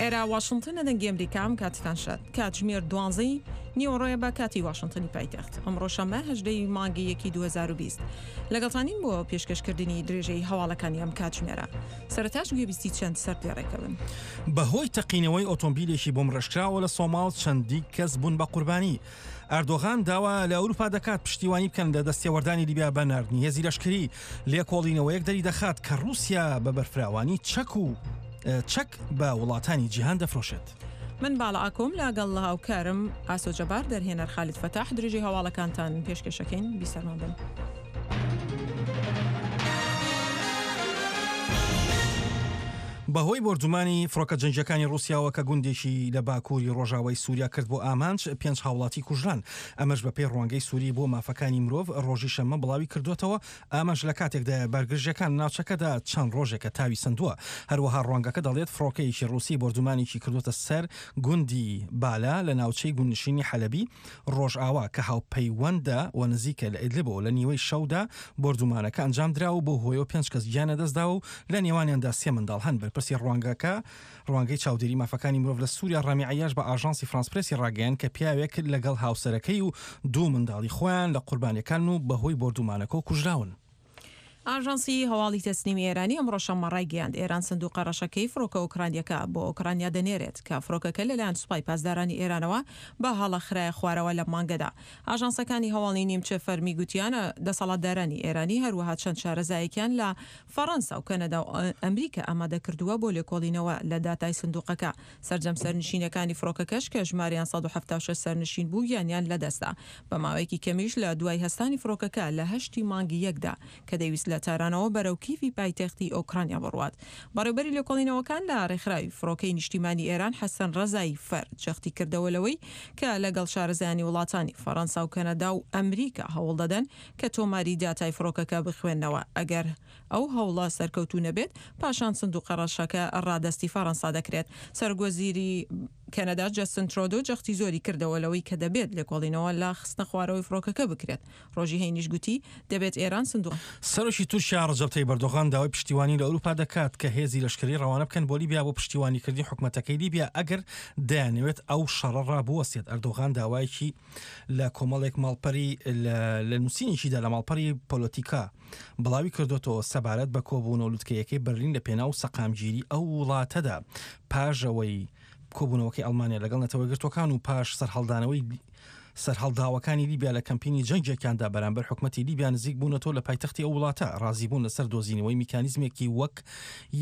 ئێرە واشنتنە دەنگی ئەمریکا ئەم کاتتان شاد کاتژمێر دوانزەی نیوەڕۆیە بە کاتی واشنتنی پایتەخت ئەمڕۆ شەممە هەژدەی مانگی یەکی 2020 لەگەڵتانین بۆ پێشکەشکردنی درێژەی هەواڵەکانی ئەم کاتژمێرە سەرەتاش گوێبیستی چەند سەردێڕێکە بن. بەهۆی تەقینەوەی ئۆتۆمبیلێکی بۆمبڕێژکراوە لە سۆماڵ چەندین کەس بوون بە قوربانی. ئەردۆغان داوا لە ئەوروپا دەکات پشتیوانی بکەن لە دەستێوەردانی لیبیا بە ناردنی هێزی لەشکری. لێکۆڵینەوەیەک دەریدەخات کە ڕووسیا بە بەرفراوانی چەک و چەک بە وڵاتانی جیهان دەفرۆشێت. من باڵا ئاکۆم لەگەڵ هاوکارم ئاسۆ جەبار دەرهێنەر خالید فەتاح درێژەی هەواڵەکانتان پێشکەشەکەین بیسەرمان بن. بەهۆی بۆردومانی فڕۆکە جەنگییەکانی ڕووسیاوە کە گوندێکی لە باکووری ڕۆژاوای سووریا کرد بۆ ئامانج، پێنج هاوڵاتی کوژران. ئەمەش بەپێی ڕوانگەی سووری بۆ مافەکانی مرۆڤ ڕۆژی شەممە بڵاوی کردووەتەوە، ئەمەش لە کاتێکدایە بارگرژییەکان لە ناوچەکەدا چەند ڕۆژێکە تاوی سەندووە. هەروەها ڕوانگەکە دەڵێت فڕۆکەیەکی ڕووسی بۆردومانێکی کردووەتە سەر گوندی بالا لە ناوچەی گوندنشینی حەلەبی ڕۆژئاوا کە هاوپەیوەندە و نزیکە لە ئیدلبەوە لە نیوەی شەودا بۆردومانەکە ئەنجامدرا و بەو هۆیەوە پێنج کەس گیان لەدەستداوە و لە نێوانیاندا سێ منداڵ هەن. بەرپرسی ڕوانگەکە ڕوانگەی چاودێری مافەکانی مرۆڤ لە سوریا ڕامی عەیاش بە ئاژانسی فرانس پرێسی ڕاگەیاند کە پیاوێک لەگەڵ هاوسەرەکەی و دوو منداڵی خۆیان لە قوربانیەکانن و بەهۆی بۆردومانەکەوە کوژراون. ئاژانسی هەواڵی تەسنیمی ئێرانی ئەمڕۆ شەممە ڕایگەیاند، ئێران سندوقە ڕەشەکەی فڕۆکە ئۆکرانییەکە بۆ ئۆکرانیا دەنێرێت کە فڕۆکەکە لەلایەن سوپای پاسدارانی ئێرانەوە بە هەڵە خرایە خوارەوە لەم مانگەدا. ئاژانسەکانی هەواڵی نیمچە فەرمی گوتیان، دەسەڵاتدارانی ئێرانی هەروەها چەند شارەزایەکیان لە فەڕەنسا و کەنەدا و ئەمریکا ئامادە کردووە بۆ لێکۆڵینەوە لە داتای سندوقەکە. سەرجەم سەرنشینەکانی فڕۆکەکەش کە ژمارەیان 176 سەرنشین بوو گیانیان لەدەستدا. بە ماوەیەکی کەمیش لە دوای هەستانی فڕۆکەکە لە هەشتی مانگی یەکدا کە دەیویست لە تارانەوە بەرەو کیڤی پایتەختی ئۆکرانیا بڕوات. بەڕێوبەری لێکۆڵینەوەکان لە ڕێکخراوی فڕۆکەی نیشتیمانی ئێران حەسەن ڕەزایی فەر جەختی کردەوە لەوەی کە لەگەڵ شارەزایانی وڵاتانی فەڕەنسا و کەنەدا و ئەمریکا هەوڵدەدەن کە تۆماری داتای فڕۆکەکە بخوێننەوە، ئەگەر ئەو هەوڵە سەرکەوتوو نەبێت، پاشان سندوقە ڕەشەکە ڕادەستی فەڕەنسا دەکرێت. سەرۆکوەزیری کەنەدا جەستن ترۆدۆ جەختی زۆری کردەوە لەوەی کە دەبێت لێکۆڵینەوە لە خستنەخوارەوەی فڕۆکەکە بکرێت. ڕۆژی هەینیش گوتی، دەبێت ئێران سندوق. سەرۆکی تورکیا ڕەجەب تەیب ئەردۆغان داوای پشتیوانی لە ئەوروپا دەکات کە هێزی لەشکری ڕەوانە بکەن بۆ لیبیا بۆ پشتیوانیکردنی حکومەتەکەی لیبیا ئەگەر دەیانەوێت ئەو شەڕە ڕابوەستێت. ئەردۆغان داوایەکی لە کۆمەڵێک ماڵپەری لە نووسینێکیدا لە ماڵپەری پۆلۆتیکا بڵاوی کردوێتەوە سەبارەت بە کۆبوونەوە لوتکەیەکەی بەرلین لە پێناو سەقامگیری ئەو وڵاتەدا پاژەوەی کۆبوونەوەکەی ئەڵمانیا لەگەڵ نەتەوەیەکگرتووەکان و پاش سەرهەڵدانەوەی سەرهەڵداوەکانی لیبیا لە کەمپینی جەنگێکیاندا بەرامبەر حکومەتی لیبیا نزیک بوونەتەوە لە پایتەختی ئەو وڵاتە ڕازیبوون لەسەر دۆزینەوەی میکانیزمێکی وەک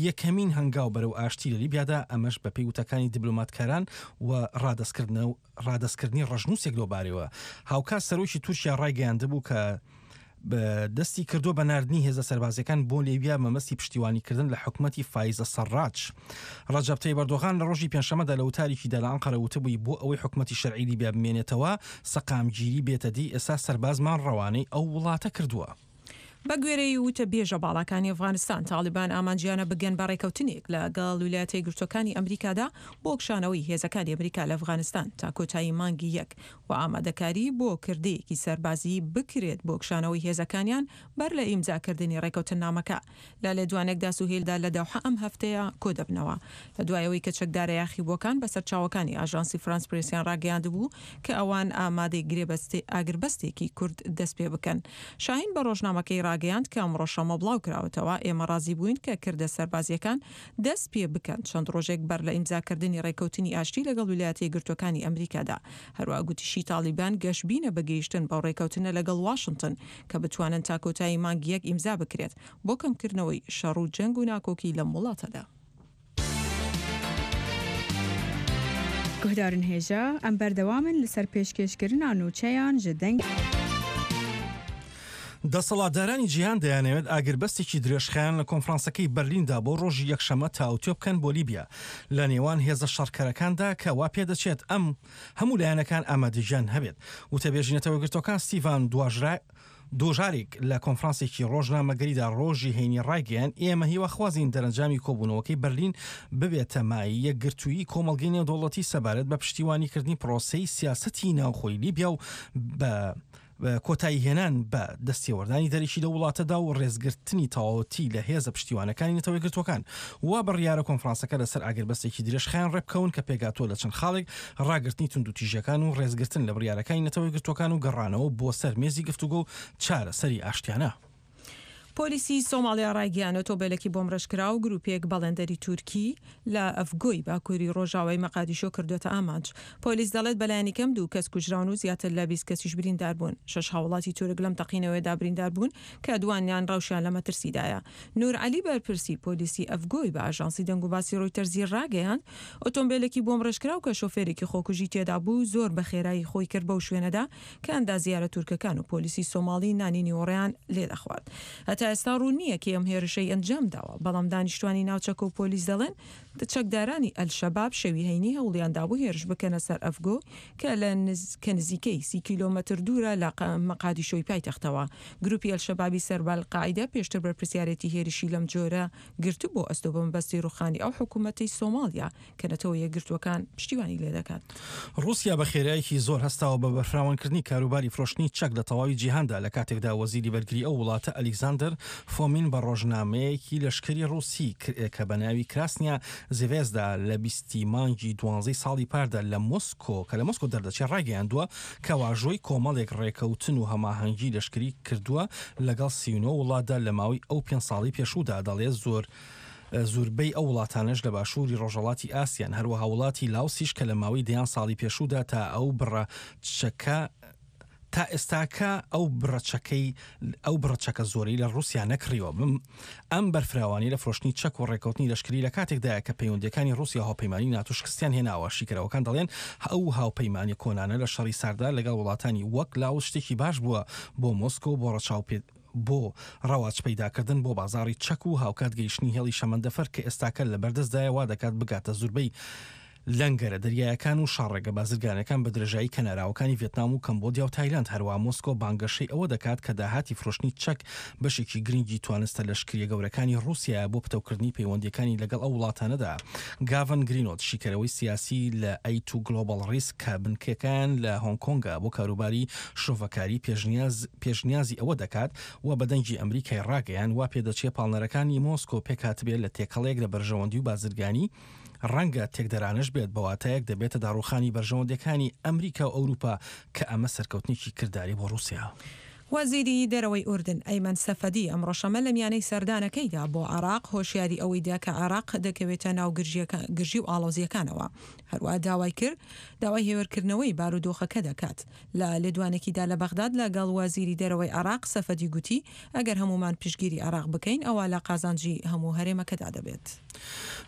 یەکەمین هەنگاو بەرەو ئاشتی لە لیبیادا ئەمەش بەپێی وتەکانی دیبلۆماتکاران و ڕادەستکردنەوە ڕادەستکردنی ڕەشنووسێک لەو بارەیەوە. هاوکات سەرۆکی تورکیا ڕایگەیاندبوو کە دەستی کردووە بە ناردنی هێزە سەربازیەکان بۆ لیبیا مەبەستی پشتیوانیکردن لە حکومەتی فایزە سەڕاج. ڕەجەب تەیب ئەردۆغان لە ڕۆژی پێنجشەممەدا لە وتارێکیدا لە ئەنقەرە وتبووی بۆ ئەوەی حکومەتی شەرعی لیبیا بمێنێتەوە، سەقامگیری بێتە دی، ئێستا سەربازمان ڕەوانەی ئەو وڵاتە کردووە. بەگوێرەی وتەبێژە باڵاکانی ئەفغانستان، تاڵیبان ئامانجیانە بگەن بە ڕێکەوتنێک لەگەڵ ویلایەتە یەکگرتووەکانی ئەمریکادا بۆ کشانەوەی هێزەکانی ئەمریکا لە ئەفغانستان تا کۆتایی مانگی یەک و ئامادەکاری بۆ کردەیەکی سەربازی بکرێت بۆ کشانەوەی هێزەکانیان بەر لە ئیمزاکردنی ڕێکەوتننامەکە. لە لێدوانێکدا سوهیل دا لە دەوحە ئەم هەفتەیە کۆدەبنەوە. لە دوای ئەوەی کە چەکدارە یاخیبووەکان بە سەرچاوەکانی ئاژانسی فرانس پرێسیان ڕاگەیاندبوو کە ئەوان ئامادەی گرێبەستی ئاگربەستێکی کورت دەستپێبکەن. شاهین بە ڕۆژنامەکەی ڕاگەیاند کە ئەمڕۆ شەممە بڵاوکراوەتەوە، ئێمە ڕازی بووین کە کردە سەربازییەکان دەست پێ بکەن چەند ڕۆژێک بەر لە ئیمزاکردنی ڕێککەوتنی ئاشتی لەگەڵ ویلایەتە یەکگرتووەکانی ئەمریکادا. هەروەها گوتیشی تاڵیبان گەشبینە بە گەیشتن بەو ڕێککەوتنە لەگەڵ واشنتن کە بتوانن تا کۆتایی مانگی یەک ئیمزا بکرێت بۆ کەمکردنەوەی شەڕ و جەنگ و ناکۆکی لەم وڵاتەدا. Guhdarên hêja, em berdewam in li ser pêşkêşkirina nûçeyan ji deng. دەسەڵاتدارانی جیهان دەیانەوێت ئاگربەستێکی درێژخایەن لە کۆنفرانسەکەی بەرلیندا بۆ ڕۆژی یەکشەممە تاوتوێ بکەن بۆ لیبیا لە نێوان هێزە شەڕکەرەکاندا کە وا پێدەچێت ئەم هەموو لایەنەکان ئامادەگیان هەبێت. وتەبێژی نەتەوەیەکگرتووەکان ستیڤان دوژاریک لە کۆنفرانسێکی ڕۆژنامەگەریدا ڕۆژی هەینی ڕایگەیاند، ئێمە هیواخوازین دەرەنجامی کۆبوونەوەکەی بەرلین ببێتە مایەی یەکگرتوویی کۆمەڵگەی نێودەوڵەتی سەبارەت بە پشتیوانیکردنی پرۆسەی سیاسەتی ناوخۆی لیبیا و بە. کۆتاییهێنان بە دەستێوەردانی دەرەکی لەو وڵاتەدا و ڕێزگرتنی تەواوەتی لە هێزە پشتیوانەکانی نەتەوە یەکگرتووەکان. وا بڕیارە کۆنفرانسەکە لەسەر ئاگربەستێکی درێژخایەن ڕێکبکەون کە پێکهاتووە لە چەند خاڵێک، ڕاگرتنی توندوتیژییەکان و ڕێزگرتن لە بڕیارەکانی نەتەوە یەکگرتووەکان و گەڕانەوە بۆ سەر مێزی گفتوگۆ و چارەسەری ئاشتیانە. پۆلیسی سۆماڵیا ڕایگەیاند، ئۆتۆمبێلێکی بۆمبڕێژکراو گروپێک بەڵێندەری تورکی لە ئەفگۆی باکووری ڕۆژاوای مەقادیشۆ کردووەتە ئامانج. پۆلیس دەڵێت بەلایەنیکەم دوو کەس کوژراون و زیاتر لە 20 کەسیش بریندار بوون. شەش هاوڵاتی تورک لەم تەقینەوەیەدا بریندار بوون کە دووانیان ڕەوشیان لە مەترسیدایە. نور عەلی بەرپرسی پۆلیسی ئەفگۆی بە ئاژانسی دەنگوباسی ڕۆیتەرزی ڕاگەیاند، ئۆتۆمبێلێکی بۆمبڕێژکراو کە شۆفێرێکی خۆکوژی تێدا بوو زۆر بە خێرایی خۆی کرد بەو شوێنەدا کە ئەندازیارە تورکەکان و پۆلیسی سۆماڵی نانی نیوەڕۆیان لێدەخوارد. هەتا ئێستا ڕوون نییە کێ ئەم هێرشەی ئەنجامداوە، بەڵام دانیشتوانی ناوچەکە و پۆلیس دەڵێن چەکدارانی ئەلشەباب شەوی هەینی هەوڵیان دابوو هێرش بکەنە سەر ئەفگۆ کە لە کە نزیکەی 30 کیلۆمەتر دوورە لە مەقادیشۆی پایتەختەوە. گروپی ئەلشەبابی سەر بە ئەلقاعیدە پێشتر بەرپرسیارێتی هێرشی لەم جۆرە گرتبوو ئەستۆ بە مەبەستی ڕووخانی ئەو حکوومەتەی سۆماڵیا کە نەتەوە یەکگرتووەکان پشتیوانی لێدەکات. ڕووسیا بە خێرایەکی زۆر هەستاوە بە بەرفراوانکردنی کاروباری فرۆشتنی چەک لە تەواوی جیهاندا لە کاتێکدا وەزیری بەرگری ئەو وڵاتە ئەلیکزاندەر فۆمین بە ڕۆژنامەیەکی لەشکری ڕووسی کە بە ناوی کراسنیا زڤێزدا لە بیستی مانگی دوانزەی ساڵی پاردا لە مۆسکۆ کە لە مۆسکۆ دەردەچێت ڕایگەیاندووە کە واژۆی کۆمەڵێک ڕێکەوتن و هەماهەنگی لەشکری کردووە لەگەڵ 39 وڵاتدا لە ماوەی ئەو پێنج ساڵەی پێشوودا دەڵێت زۆر زوربەی ئەو وڵاتانەش لە باشووری ڕۆژهەڵاتی ئاسیان، هەروەها وڵاتی لاوسیش کە لە ماوەی دەیان ساڵی پێشوودا تا ئەو بڕە چەکە تا ئێستاکە ئەو بڕە چەکەی ئەو بڕە چەکە زۆرەی لە ڕووسیا نەکڕیوە. ئەم بەرفراوانی لە فرۆشتنی چەک و ڕێککەوتنی لەشکری لە کاتێکدایە کە پەیوەندییەکانی ڕووسیا و هاوپەیمانانی ناتۆ شکستیان هێناوە. شیکەرەوەکان دەڵێن ئەو هاوپەیمانیە کۆنانە لە شەڕی ساردا لەگەڵ وڵاتانی وەک لاوس شتێکی باش بووە بۆ مۆسکۆ بۆ ڕەچاو بۆ ڕەواج پەیداکردن بۆ بازاڕی چەک و هاوکات گەیشتنی هێڵی شەمەندەفەر کە ئێستاکە لەبەردەستدایە وا دەکات بگاتە زوربەی لەنگەرە دەریایەکان و شاڕێگە بازرگانەکان بە درێژایی کەناراوەکانی ڤێتنام و کەمبۆدیا و تایلەند. هەروەها مۆسکۆ بانگەشەی ئەوە دەکات کە داهاتی فرۆشتنی چەک بەشێکی گرنگی توانستە لەشکرییە گەورەکانی ڕووسیایە بۆ پتەوکردنی پەیوەندییەکانی لەگەڵ ئەو وڵاتانەدا. گاڤن گرینۆت، شیکەرەوەی سیاسی لە ئەی تو گلۆبەڵ ڕیسک کە بنکەکەیان لە هۆنگ کۆنگە بۆ کاروباری شرۆڤەکاری پێشنیاز پێشنیازی ئەوە دەکات و بە دەنگی ئەمریکای ڕاگەیاند وا پێدەچێ پاڵنەرەکانی مۆسکۆ پێکهاتبێ لە تێکەڵەیەک لە بەرژەوەندی و بازرگانی ڕەنگە تێکدەرانەش بێت بە واتایەک دەبێتە داڕووخانی بەرژەوەندیەکانی ئەمریکا و ئەوروپا کە ئەمە سەرکەوتنێکی کرداری بۆ ڕووسیا. وەزیری دەرەوەی ئوردن، ئەیمەن سەفەدی ئەمڕۆ شەممە لە میانەی سەردانەکەیدا بۆ عێراق هۆشیاری ئەوەی دا کە عێراق دەکەوێتە ناو گرژی و ئاڵۆزییەکانەوە. هەروەها داوای کرد داوای هێورکردنەوەی بارودۆخەکە دەکات. لە لێدوانێکیدا لە بەغداد لەگەڵ وەزیری دەرەوەی عێراق، سەفەدی گوتی، ئەگەر هەموومان پشتگیری عێراق بکەین، ئەوا لە قازانجی هەموو هەرێمەکەدا دەبێت.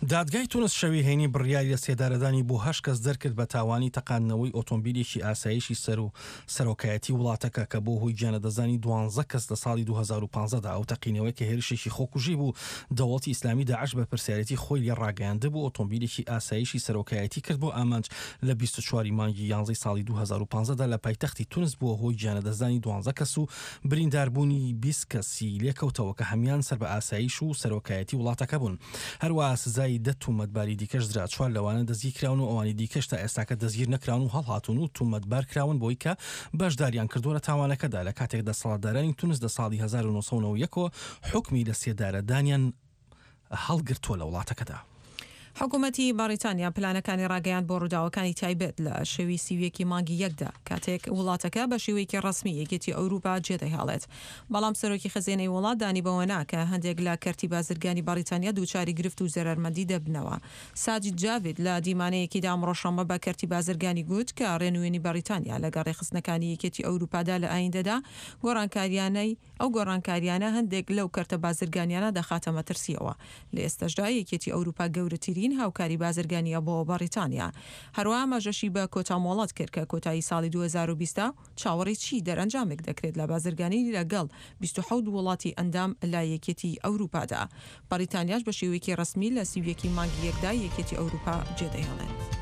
دادگای تونس شەوی هەینی بڕیاری لەسێدارەدانی بۆ هەشت کەس دەرکرد بە تاوانی تەقاندنەوەی ئۆتۆمبیلێکی ئاسایشی سەرو سەرۆکایەتی وڵاتەکە کە بۆ هۆی گیانلەدەستدانی دوانزە کەس لە ساڵی 2015 دا ئەو تەقینەوەی کە هێرشێکی خۆکوژی بوو دەوڵەتی ئیسلامی داعش بەرپرسیارێتی خۆی لێ ڕاگەیاندبوو ئۆتۆمبیلێکی ئاسایشی سەرۆکایەتی کرد بۆ ئامانج لە 24 ی مانگی یانزەی ساڵی 2015 دا لە پایتەختی تونس بووە هۆی گیانلەدەستدانی دوانزە کەس و برینداربوونی 20 کەسی لێکەوتەوە کە هەموان سەر بە ئاسایش و سەرۆکایەتی وڵاتەکە بوون. هەروەها سزای دە تومەتباری دیکەش درا، چوار لەوانە دەستگیرکراون و ئەوانی دیکەش تا ئێستاکە دەستگیر نەکراون و هەڵهاتوون و تومەتبارکراون بەوەی کە بەشداریان کردووە لە تاوانەکەدا، لە کاتێک دەسەڵاتدارانی تونس لە ساڵی 1991 ەوە حوکمی لەسێدارەدانیان هەڵگرتووە لە وڵاتەکەدا. حکومەتی بەڕیتانیا پلانەکانی ڕاگەیاند بۆ ڕووداوەکانی تایبەت لە شەوی 31 ی مانگی یەکدا، کاتێک وڵاتەکە بە شێوەیەکی ڕەسمی یەکێتی ئەوروپا جێدەهێڵێت. بەڵام سەرۆکی خەزێنەی وڵات دانی بەوە نا کە هەندێک لە کەرتی بازرگانی بەڕیتانیا دووچاری گرفت و زەرەرمەندی دەبنەوە. ساجید جاڤید لە دیمانەیەکیدا ئەمڕۆ شەممە بە کەرتی بازرگانی گوت کە ڕێنوێنی بەڕیتانیا لەگەڵ ڕێکخستنەکانی یەکێتی ئەوروپادا لە ئایندەدا گۆڕانکاریانەی ئەو گۆڕانکاریانە هەندێک لەو کەرتە بازرگانیانە دەخاتە مەترسییەوە. لە ئێستەشدا یەکێتی ئەوروپا گەورەترین هاوکاری بازرگانییە بۆ بەڕیتانیا. هەروەها ئاماژەشی بە کۆتا مۆڵەت کرد کە کۆتایی ساڵی 2020 ە و چاوەڕێی چی دەرئەنجامێک دەکرێت لە بازرگانی لەگەڵ 27 وڵاتی ئەندام لە یەکێتی ئەوروپادا. بەڕیتانیاش بە شێوەیەکی ڕەسمی لە 31 ی مانگی یەکدا یەکێتی ئەوروپا جێدەهێڵێت.